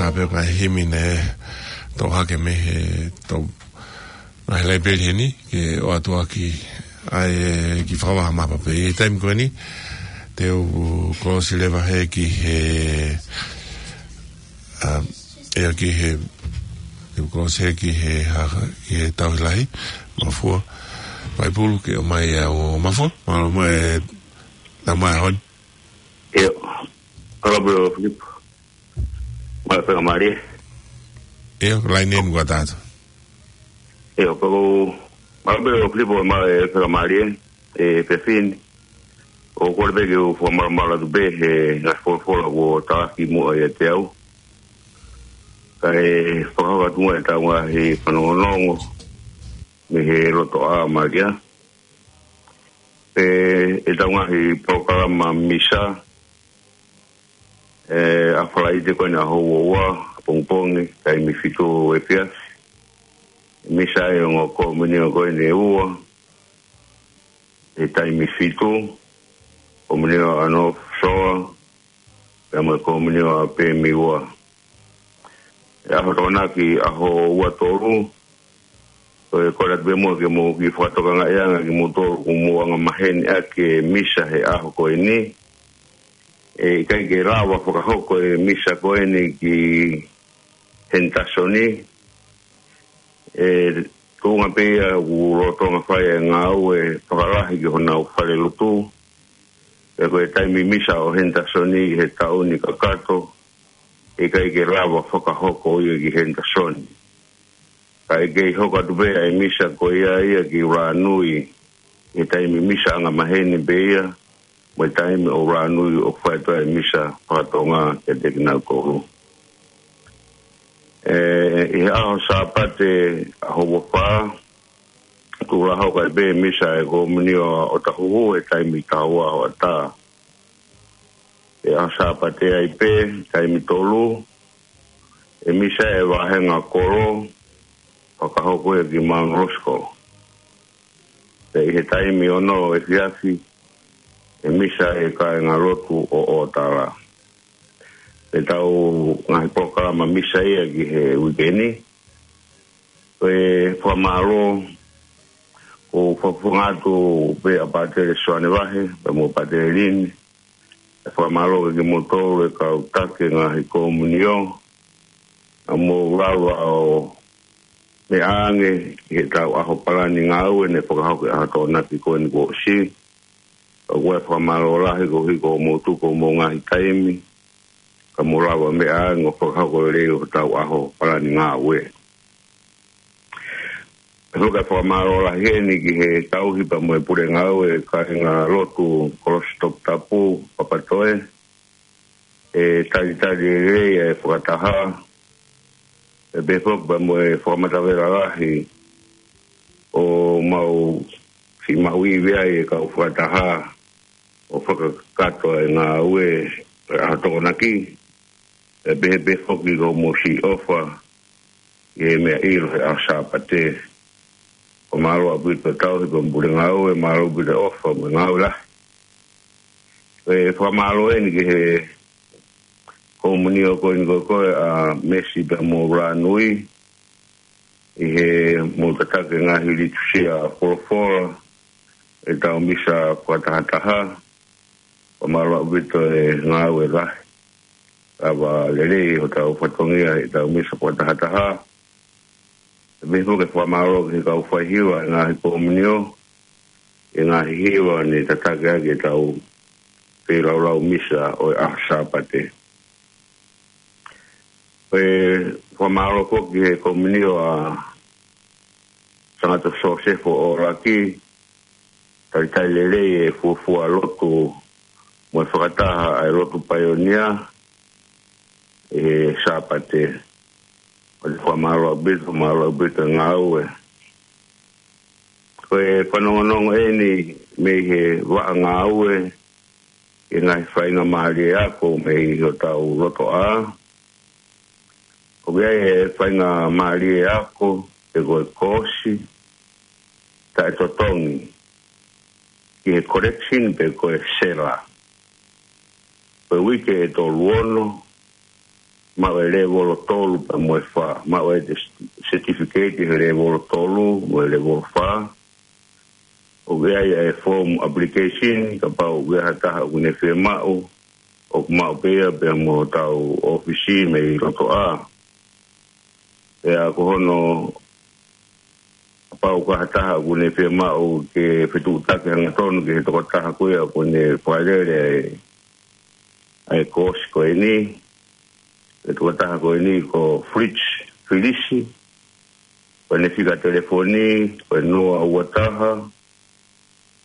Ka pea ko e himi ne toʻo hake mei he tau ngaahi laipeli heni, ke ʻoatu ʻaki ai e kiʻi fakavaha mapa pē. ʻI he taimi ko eni, te u kolosi leva he ki he, ʻa, ʻe ki he, te u kolosi he ki he, ha, ki he tauhi lahi, Mafua. Vaipulu ke ʻomai ʻa Mafua, mālō mo e, na mai hon. ʻIo, ʻalā pē ʻo Filipo. Mālō pē ka mālie. ʻIo, laine muka tātou. ʻIo, pea ko, mālō pē ʻo Filipo, mālō e pē ka mālie, e pefin. ʻO kole pē ke u fakamālō mālō atu pē, he ngaahi folofola kuo tāki muʻa ʻiate au. Kae fakahoko atu muʻa e tau ngaahi fanongonongo, mei he loto ʻa Malia. Pea e tau ngaahi polokalama misa, ʻe, ʻa Falaite ko eni ʻaho uaua, pongipongi, taimi fitu efiafi. Misa ʻa e ongo komiunio ko eni ʻe ua, he taimi fitu, komiunio ʻa North Shore, pea mo e komiunio ʻa Pemiua. ʻE ʻaho Tokonaki ʻaho uatolu, ko e kole atu pē muʻa ke mou kiʻi fakatokangaʻi ange kimoutolu ʻoku mou anga maheni ʻaki e misa he ʻaho ko eni. ʻE ʻikai ke lava fakahoko e misa ko eni ki Henderson. ʻE tuʻunga pē ia ʻoku lolotonga fai e ngāue fakalahi ki honau falelotu. Pea ko e taimi misa ʻo Henderson ʻi he taʻu ni kakato, ʻikai ke lava fakahoko ia ki Henderson. Kae kei hoko atu pē ʻa e misa ko ia ia ki ʻUluanui, ʻi he taimi misa anga maheni pē ia, mo e taimi ʻo ʻUluanui ʻoku fai atu ai e misa fakatonga kiate kinautolu. ʻE, ʻi he ʻaho Sāpate ʻaho uafā, kuo lava hoko ai pē misa e komiunio ʻo Tahuhu he taimi taha ua hoʻatā. ʻI he ʻaho Sāpate ai pē, taimi tolu, ʻe misa e vāhenga kolo, fakahoko ia ki Mount Roskill. Pea ʻi he taimi ono efiafi, ʻe misa e kāingalotu ʻo ʻOtala. ʻE tau ngaahi polokalama misa ia ki he uike ni. Ko e fakamālō, ʻoku ou fakafofonga atu pē ʻa Pātele Soane Vahe, pea mo Pātele Lini. ʻE fakamālō ki kimoutolu e kau taki ngaahi komiunio, naʻa mou lava ʻo meʻa ange ʻi he tau ʻaho palani ngāue ne fakahoko he ʻaho Tokonaki ko eni kuo ʻosi. ʻOku ou fakamālō lahi koeʻuhi ko hoʻomou tuku hoʻomou ngaahi taimi, ka mou lava meʻa ange ʻo fakahoko lelei hotau ʻaho palani ngāue. Pea ko e fakamālō lahi eni ki he tauhi pea mo e pule ngāue, kāingalotu Kolosi Toputapu, Papatoe, ʻe talitali lelei e fakataha, ʻe pehē foki pea mo e fakamatavela lahi, ʻoku mau fiemaʻu ivi ai e kau fakataha, ʻo fakakakato e ngāue ʻa e ʻaho Tokonaki, ʻe pehē pē foki ko hoʻomou siʻi ʻofa, ʻi he meʻa ʻilo he ʻaho Sāpate. Ko e mālō ʻaupito e tauhi pea mo e pule ngāue, mālō ʻaupito e ʻofa mo e ngāue lahi. ʻE fakamālō eni ki he komiunio ko eni ko ē ʻa Mesi pea mo ʻUluanui, ʻi heʻemou tataki e ngaahi litūsia folofola, e tau misa fakatahataha, fakamālō ʻaupito e ngāue lahi. Lava lelei hotau fatongia e tau misa fakatahataha. Pea mo e fakamālō ki he kau faihiva e ngaahi komiunio, e ngaahi hiva ne tataki ʻaki e tau feilaulau misa ʻo e ʻaho Sāpate. ʻE fakamālō foki ki he komiunio ʻa Sangata Sosefo ʻo Laki, talitali lelei e fuofua lotu mo e fakataha ʻa e lotu paionia he Sāpate. ʻOku ou fakamālō ʻaupito, mālō ʻaupito e ngāue. Ko e fanongonongo eni mei he vaʻa ngāue, e ngaahi faingamālie ako mei hotau lotoʻā. ʻOku ʻi ai e faingamālie ako, pe ko e koosi taʻetotongi ki he correction pe ko e sela. Ko e uike ʻe tolu ono, maʻu e lēvolo tolu pea mo e fā, maʻu e certificate he lēvolo tolu mo e lēvolo fā. ʻOku ʻi ai e form application, kapau ʻoku ʻi ai ha taha ʻoku ne fiemaʻu, ʻoku maʻu pē ia pea mo hotau ʻōfisi mei loto ʻā. Pea ko hono, kapau ko ha taha ʻoku ne fiemaʻu ke fetuʻutaki hangatonu ki he tokotaha ko ia ʻoku ne fakalele ai e koosi ko eni. E tokotaha ko eni ko Fritz Filisi. Ko ʻene fika telefoni ko e noa ua taha,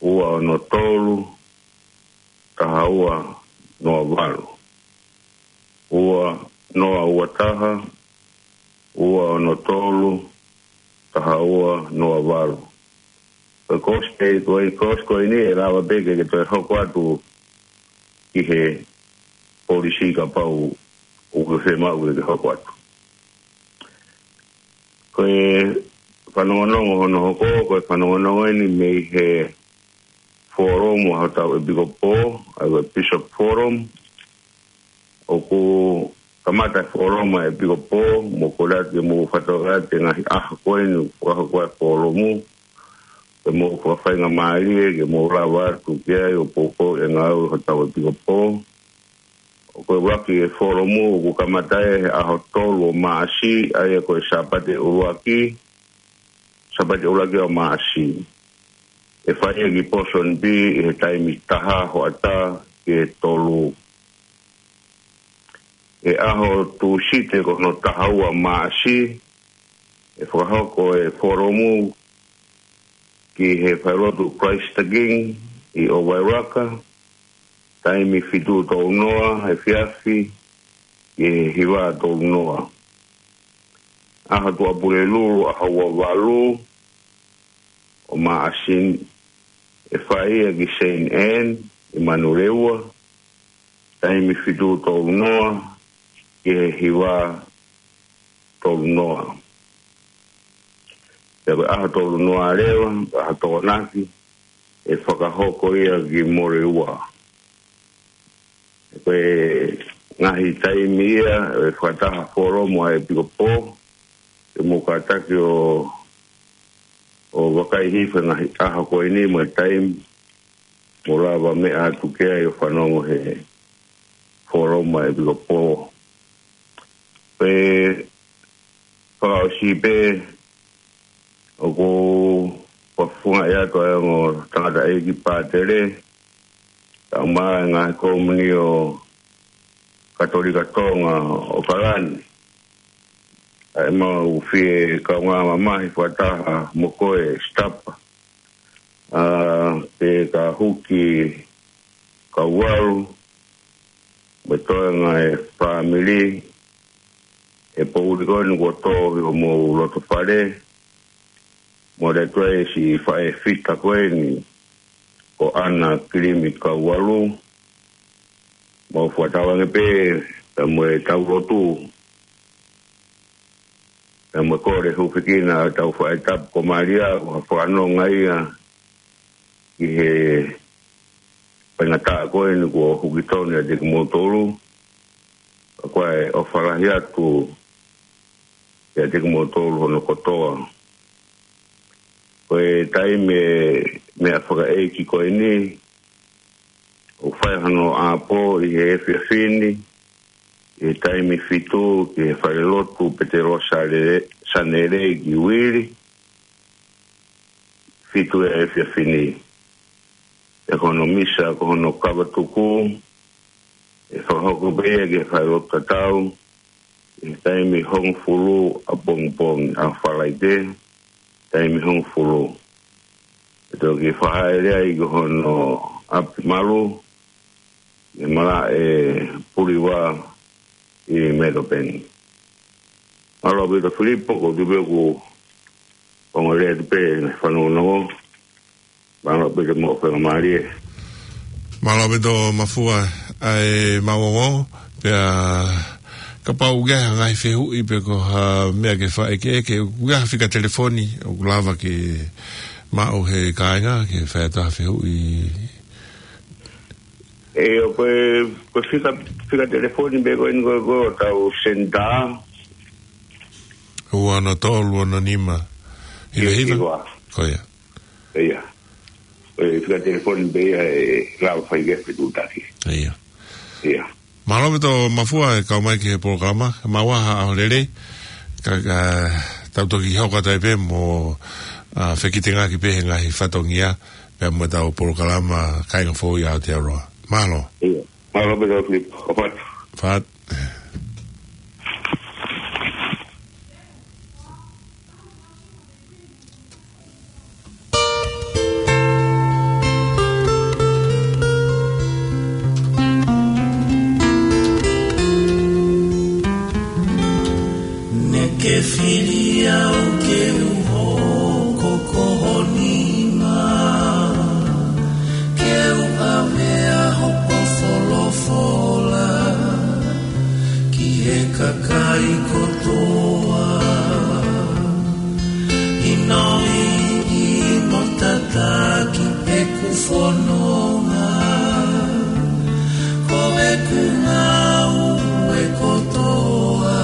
ua ono tolu, taha ua noa valu. Ua noa ua taha, ua ono tolu, taha ua noa valu. Ko e koosi, ko e koosi ko eni ʻe lava pē ke, ke toe hoko atu ki he polisi kapau ʻoku ke fiemaʻu ke, ke hoko atu. Ko e fanongonongo hono hoko, ko e fanongonongo eni mei he folomu ʻa hotau ʻepikopō, ʻa e Bishop Forum. ʻOku kamata e folomu ʻa e ʻepikopō, mo kole atu ke mou fakatokangaʻi e ngaahi ʻaho ko eni, fakahoko e folomu, ke mou fakafaingamālie, ke mou lava atu ki ai ʻo poupou e ngāue ʻa hotau ʻepikopō. ʻOku ʻuluaki e folomu, ʻoku kamata he ʻaho tolu ʻo Maʻasi, ʻa ia ko e Sāpate ʻuluaki, Sāpate ʻuluaki ʻo Maʻasi. ʻE fai ia ki Ponsonby ʻi he taimi taha hoʻatā ki he tolu. ʻI he ʻaho Tūsite ko hono taha ua Maʻasi, ʻe fakahoko e folomu ki he falelotu Christ the King ʻi ʻOvairaka, taimi fitu tolu noa efiafi ki he hiva tolu noa. ʻAho Tuʻapulelulu, ʻaho ua valu ʻo Maʻasi, ʻe fai ia ki Saint Anne ʻi Manurewa, taimi fitu tolu noa ki he hiva tolu noa. Pea ko e ʻaho tolu noa leva, ʻaho Tokonaki, ʻe fakahoko ia ki Moreua. Ko e ngaahi taimi ia ʻe fakataha folomu ʻa e ʻepikopō, ke mou kātaki ʻo, ʻo vakai hifo e ngaahi ʻaho ko eni mo e taimi, mou lava meʻa atu ki ai ʻo fanongo he folomu ʻa e ʻepikopō. Pea fakaʻosi pē, ʻoku ou fakafofongaʻi atu ʻa e ongo tangataʻeiki pātele, kae ʻumaʻā e ngaahi komiunitī Katolika Tonga ʻo ʻAokalani. ʻA ʻemau fie kaungā mamahi fakataha mo koe Sitapa, ʻa, pea ko Huki Kauvalu, mo e toenga e fāmili, he poʻuli ko eni kuo tō ʻi homou loto fale, mo e tuʻi siʻi faʻē fita ko eni, ko ʻAna Kilimi Kauvalu, mou fakatauange pē, pea mo e tau lotu, pea mo e kole hūfekina ʻa hotau faʻē tapu ko Malia, ʻoku fakanonga ia ki he faingataʻa ko eni kuo huki tonu ʻiate kimoutolu, ka ko e ʻofa lahi atu ʻiate kimoutolu hono kotoa. Ko e taimi e meʻa fakaʻeiki ko eni, ʻoku fai hono ʻapō ʻi he efiafi ni, ʻi he taimi fitu ki he falelotu Petelo Sale-, Sanele ki Uili, fitu e efiafi ni. Pea ko hono misa, ko hono kavatuku, ʻe fakahoko pē ia ki he falelotu tatau, ʻi he taimi hongofulu ʻapongipongi, ʻaho Falaite, taimi hongofulu. ʻE toki fakahaʻele ai ki hono ʻapi malu, ʻi he malaʻe Puliva ʻi Melbourne. Mālō ʻaupito Filipo, ko e tupe ʻoku ongo lea tupe, fanongonongo. Mālō ʻaupito mo faingamālie. Mālō ʻaupito Mafua, ʻa e mau ongo, pea kapau ʻoku ʻi ai ha ngaahi fehuʻi pe ko ha meʻa ke fai ke, ke ʻoku ʻi ai ha fika telefoni, ʻoku lava ke maʻu he kāinga, ke fai atu ha fehuʻi. ʻIo, ko e, ko e fika, fika telefoni pē ko eni ko e, ko e tau senitā. Ua ono tolu ono nima. Hiva hiva. Hiva. Ko ia. ʻIo. Ko e fika telefoni pē ia ʻe lava fai ki he fetuʻutaki. ʻIo. ʻIo. Mālō ʻaupito Mafua e kau mai ki he polokalama, mau ʻaho lelei, ka, ka, tau toki hoko atu ai pē mo, ʻa, fekitengaki pē he ngaahi fatongia, pea mo ʻetau polokalama Kāinga Foʻou ʻi Aotearoa. Mālō. ʻIo. Mālō ʻaupito Filipo. ʻOfa atu. Fat. Naʻá ke fili au ke u hoko ko ho nima, ke u ʻavea hoʻo folofola ki he kakai kotoa. ʻInoʻi mo tataki ʻeku fononga, ko ʻeku ngāue kotoa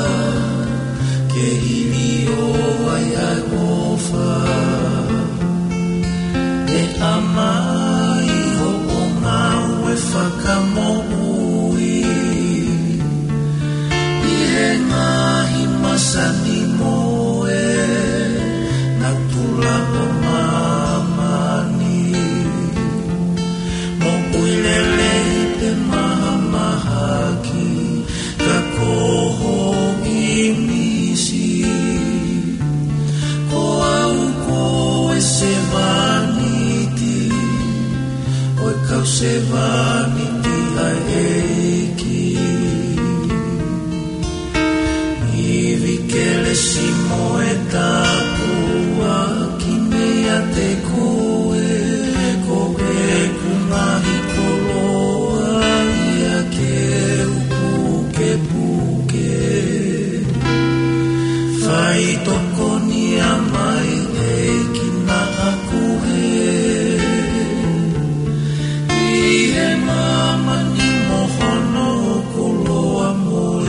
ke hiliō ai ʻa e ʻofa. ʻE ʻomai hoʻo ngāue fakamoʻui ʻi he ngaahi masani mo e natula ʻo māmani. Moʻui lelei pe mahamahaki, ka ko ho ʻīmisi. Ko au ko e sevāniti ʻo e kau sevāniti ʻa e ʻEiki. Ivi kelesi mo e tāpuaki meiate koe, ko ʻeku ngaahi koloa ia ke u pukepuke. Faitokoniʻi mai ʻEiki naʻa ku hē ʻi he māmani mo hono koloa mo e.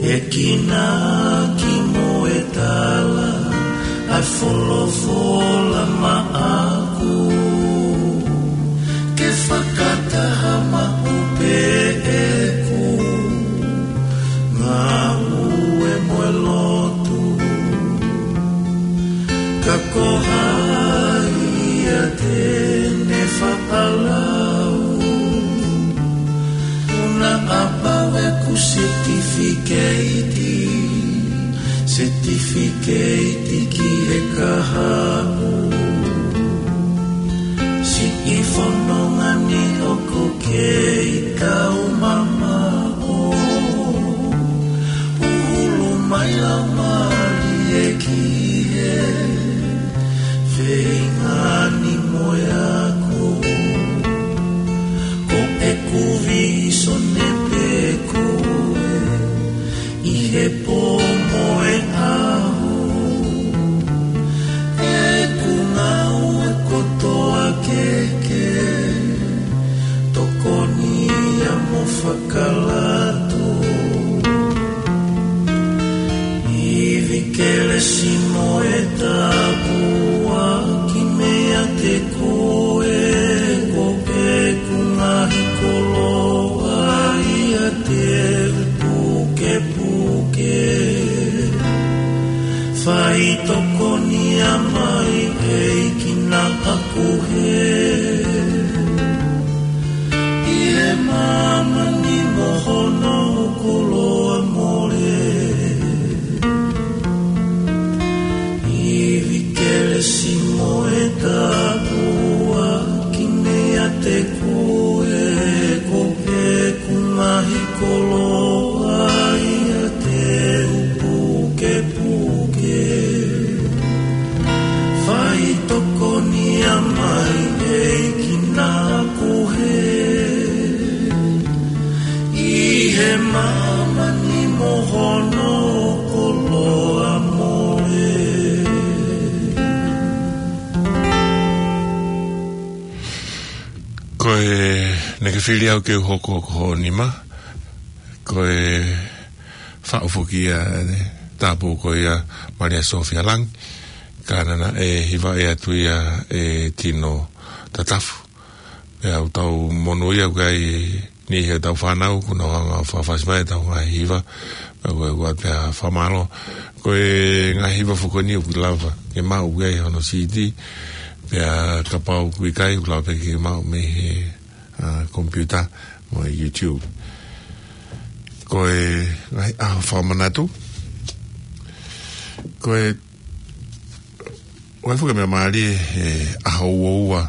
ʻE kina ki mo e tala ʻa e folofola maʻaku, ke fakataha maʻu pē ʻeku ngāue mo e lotu. Ka ko hai ia te ne fakalau, ʻoku na ʻapau ʻeku setifikeiti, setifikeiti ki he kahaʻu. Siʻi fononga ni ʻoku kei tau mamaʻo, ʻuhulu mai lau mālie ki he feinga ni mo e ako. Ko ʻeku vīsone pē ko e ʻi he pō mo e ʻaho, ʻeku ngāue kotoa ke ke tokoniʻi mo fakalato. Ivi kelesi mo e tāpuaki meiate koe, ko ʻeku ngaahi koloa ia te u pukepuke. Faitokoniʻi mai ʻEiki naʻa ku hē ʻi he māmani mo hono koloa mo e. Ivi kelesi mo e tāpuaki ʻE māmani mo hono koloa mo e. Ko e, naʻa ke fili au ke u hoko ko hoʻo nima. Ko e faʻu foki ia, ʻe, tāpō ko ia Malia Sofia Langi. Ka naʻa ne hivaʻi atu ia ʻe Tino Tatafu. Pea ʻoku tau monūʻia ʻoku ʻi ai e niʻihi ʻetau fānau, ʻoku nau hanga ʻo fakafasi mai ʻetau ngaahi hiva. Pea ko e ʻoatu pē ʻa e fakamālō. Ko e ngaahi hiva foki ko eni ʻoku lava ke maʻu ʻi ai hono CD. Pea kapau ʻoku ʻikai, ʻoku lava pē ke maʻu mei he, ʻa, computer mo e YouTube. Ko e ngaahi ʻaho fakamanatu. Ko e ʻOku ʻi ai foki e meʻa mālie he ʻaho uaua,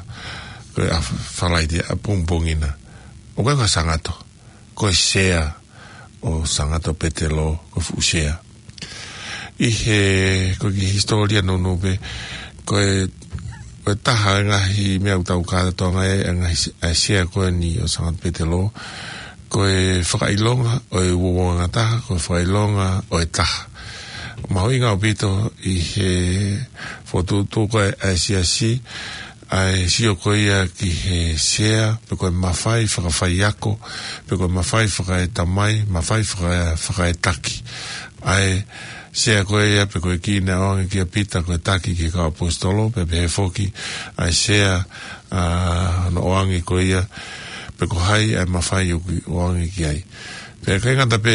ko e ʻaho Falaite ʻapongipongi na. ʻOku ʻikai ko e Sangato, ko e sea ʻo Sangato Petelo, ko e fuʻu sea. ʻI he, ko e kiʻi hisitōlia nounou pē, ko e, ko e taha e ngaahi meʻa ʻoku tau kātoanga ai, ʻa e ngaahi se-, ʻa e sea ko eni ʻo Sangato Petelo, ko e fakaʻilonga ʻo e uouangataha, ko e fakaʻilonga ʻo e taha. Mahuʻinga ʻaupito ʻi he fokotuʻutuʻu ko ē ʻa e siasi, ʻa e sio ko ia ki he sea, pe ko e mafai fakafaiako, pe ko e mafai fakaetamai, mafai faka-, fakaetaki. ʻA e sea ko ia, pe ko e kī naʻe ʻoange kia Pita ko e taki ki he kau ʻaposetolo, pea pehē foki ʻa e sea, ʻa, naʻe ʻoange ko ia, pe ko hai ʻa e mafai ʻoku ʻoange ki ai. Pea ʻikai ngata pē,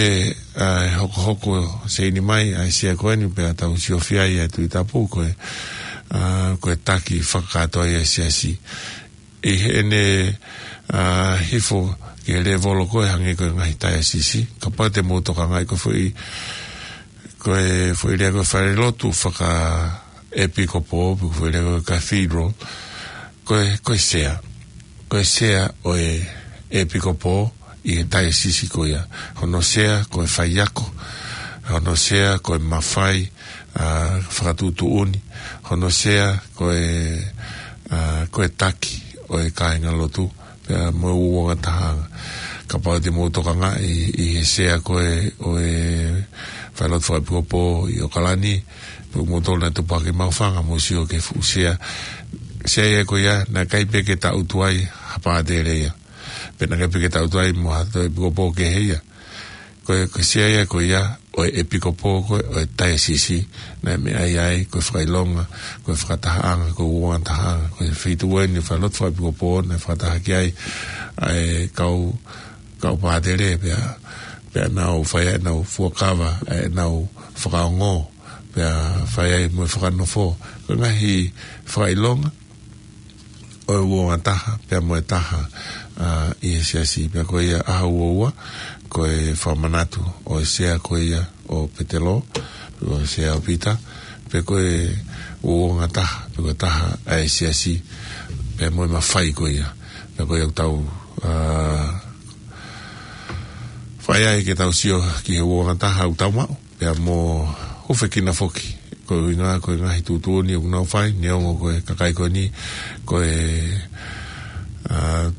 ʻa, ʻe hokohoko seini mai ʻa e sea ko eni pea tau siofia ai ʻa e Tuʻi Tapu ko e, ʻa, ko e taki fakakātoa ia ʻa e siasi. ʻI heʻene, ʻa, hifo ki he lēvolo ko ē hangē ko e ngaahi taiasisi, kapau te mou tokangaʻi ko e foʻi, ko e foʻi lea ko e falelotu fakaʻepikopo, pe ko e foʻi lea ko e cathedral, ko e, ko e sea. Ko e sea ʻo e ʻepikopo ʻi he taiasisi ko ia. Hono sea ko e faiako, hono sea ko e mafai, ʻa, fakatuʻutuʻuni, hono sea ko e, ʻa, ko e taki ʻo e kāingalotu, pea mo e uouangatahaʻanga. Kapau te mou tokangaʻi ʻi he sea ko ē ʻo e falelotu fakaʻepikopo ʻi ʻOkalani, pe ʻoku mou tolu naʻe tupu hake ʻi Maʻufanga, mou sio ki he fuʻu sea. Sea ia ko ia, naʻe ʻikai pē ke tangutu ai ha pātele ia. Pe naʻe ʻikai pē ke tangutu ai mo ha toe ʻepikopo kehe ia. Ko e, ko e sea ia ko ia ʻo e ʻepikopo ko ē ʻo e taiasisi, naʻe meʻa ai ko e fakaʻilonga, ko e fakatahaʻanga, ko e uouangatahaʻanga, ko e feituʻu eni falelotu fakaʻepikopo naʻe fakataha ki ai ʻa e kau, kau pātele pea, pea nau fai ai ʻenau fuakava, ʻenau fakaongo, pea fai ai mo e fakanofo. Ko e ngaahi fakaʻilonga ʻo e uouangataha, pea mo e taha, ʻa, ʻi he siasi, pea ko ia ʻaho uaua, ko e fakamanatu ʻo e sea ko ia ʻo Petelo, pe ko e sea ʻo Pita, pe ko e uouangataha, pe ko e taha ʻa e siasi, pea mo e mafai ko ia, pea ko ia ʻoku tau, ʻa, fai ai ke tau sio ki he uouangataha ʻoku tau maʻu. Pea mo hūfekina foki, ko e ʻuhinga ko e ngaahi tuʻutuʻuni ʻoku nau fai, neongo ko e kakai ko eni, ko e, ʻa,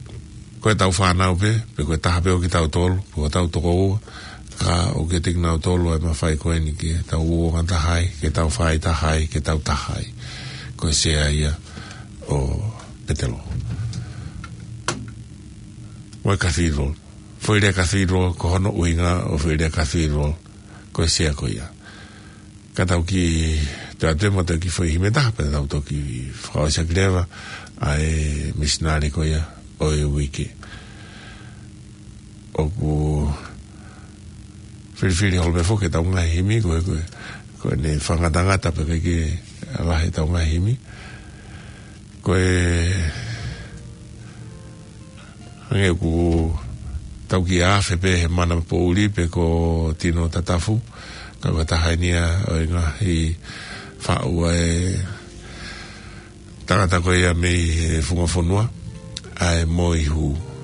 ko ʻetau fānau pē, pe ko e taha pē ʻo kitautolu, pe ko hotau tokoua, ka ʻoku ʻiate kinautolu ʻa e mafai ko eni ke tau uouangataha ai, ke tau faʻahitaha ai, ke tau taha ai. Ko e sea ia ʻo Petelo. Mo e cathedral. Foʻi lea cathedral, ko hono ʻuhinga ʻo e foʻi lea cathedral, ko e sea ko ia. Ka tau kiʻi toe atu mo e kiʻi foʻi himi ʻe taha, pea tau toki fakaʻosi ʻaki leva ʻa e misinale ko ia ʻo e uike. ʻOku filifili holo pē foki ʻetau ngaahi himi, ko e, ko e, ko ʻene fakangatangata pē ke, ke lahi ʻetau ngaahi himi. Ko e, hangē ʻoku tau kiʻi afe pē he mana poʻuli pe ko Tino Tatafu, ka ko e taha eni ia ʻo e ngaahi faʻu ʻa e tangata ko ia mei he fungafonua, ʻa e Moihū.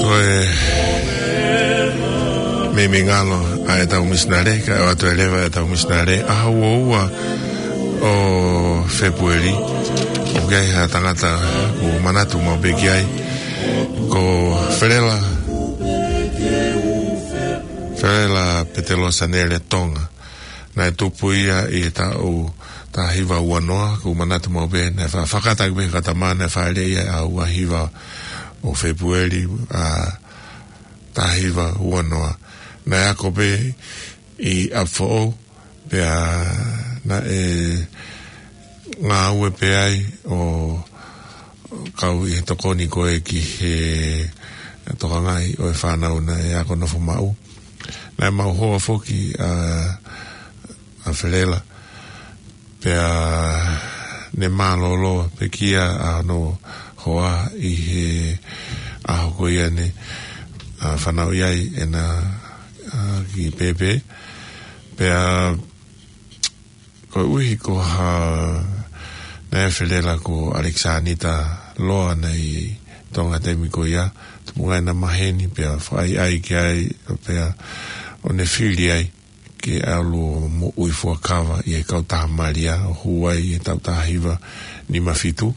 Ko e meimei ngalo ʻa ʻetau misinale, kae ʻoatu ʻe leva ʻetau misinale ʻaho uaua ʻo Fēpueli. ʻOku ʻi ai ha tangata ʻoku manatu maʻu pē ki ai, ko Felela, Felela Petelo Sanele Tonga. Naʻe tupu ia ʻi he taʻu taha hiva ua noa, ʻoku manatu maʻu pē, naʻe fa-, fakataki pē ka tama naʻe fāʻeleʻi ia ʻaho ua hiva ʻo Fēpueli, ʻa, taha hiva ua noa. Naʻe ako pē ʻi ʻApifoʻou, pea naʻe ngāue pē ai ʻo kau ʻi he tokoni ko ē ki he tokangaʻi ʻo e fānau naʻe ako nofo maʻu. Naʻe maʻu hoa foki ʻa, ʻa Felela, pea ne mālōlō pekia ʻa hono hoa ʻi he ʻaho ko ia ne, ʻa, fanauʻi ai ʻena, ʻa, kiʻi pēpē. Pea koeʻuhi ko ha, naʻe ʻi ai ʻa Felela ko ʻAlekisānita Loa naʻe ʻi Tonga taimi ko ia, tupu ai ʻena maheni pea fakaʻaiʻai ki ai, pea ʻo ne fili ai ke ʻalu ʻo moʻui fuakava ʻi he kautaha Malia ʻo hū ai ʻi he taʻu taha hiva nima fitu,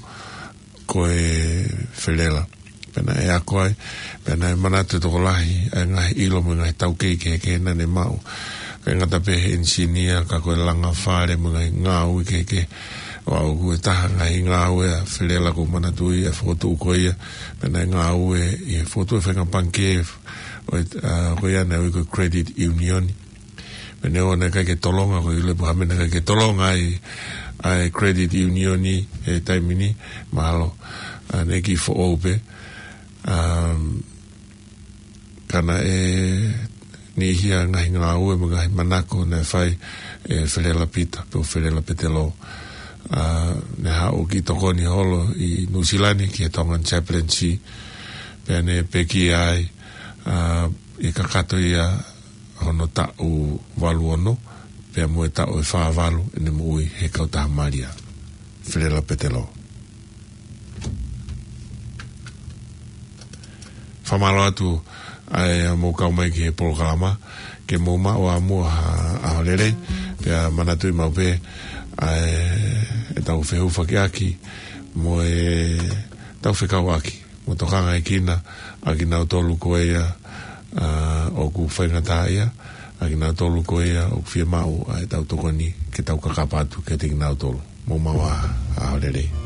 ko e Felela. Pea naʻe ako ai, pea naʻe manatu e tokolahi ʻa e ngaahi ʻilo mo e ngaahi taukei kehekehe naʻa ne maʻu. ʻIkai ngata pē he ʻenisinia, ka ko e langa fale mo e ngaahi ngāue kehekehe. ʻO aʻu ki he taha ngaahi ngāue ʻa Felela ʻoku ou manatuʻi ʻa e fokotuʻu ko ia, pea naʻe ngāue ʻi he fokotuʻu e faʻahinga pangikē ʻo e, ʻa, ko ia naʻe ui ko e Credit Union. Pea neongo naʻe ʻikai ke tolonga, ko e ʻilo pē ha meʻa naʻe ʻikai ke tolonga ai ʻa e Credit Union ʻi he taimi ni, mahalo, ʻa, naʻe kiʻi foʻou pē. Um, ka naʻe niʻihi ʻa e ngaahi ngāue mo e ngaahi manako naʻe fai ʻe Felela Pita, pe ko Felela Petelo. ʻA, ne haʻu ʻo kiʻi tokoni holo ʻi Nuʻusila ni ki he Tongan Chaplaincy. Pea ne pekia ai, ʻa, ʻi he kakato ia hono taʻu valu ono, pea mo e taʻu ʻe fā valu ʻene moʻui he kautaha Malia. Felela Petelo. Fakamālō atu ʻa e mou kau mai ki he polokalama, ke mou maʻu ʻa muʻa ha ʻaho lelei, pea manatuʻi maʻu pē ʻa e, ʻetau fehufakiʻaki mo ʻetau fekauʻaki mo tokangaekina ʻa kinautolu ko ia, ʻa, ʻoku faingataʻaʻia, ʻa kinautolu ko ia ʻoku fiemaʻu ʻa ʻetau tokoni ke tau kakapa atu kiate kinautolu. Mou maʻu ʻa, ʻaho lelei.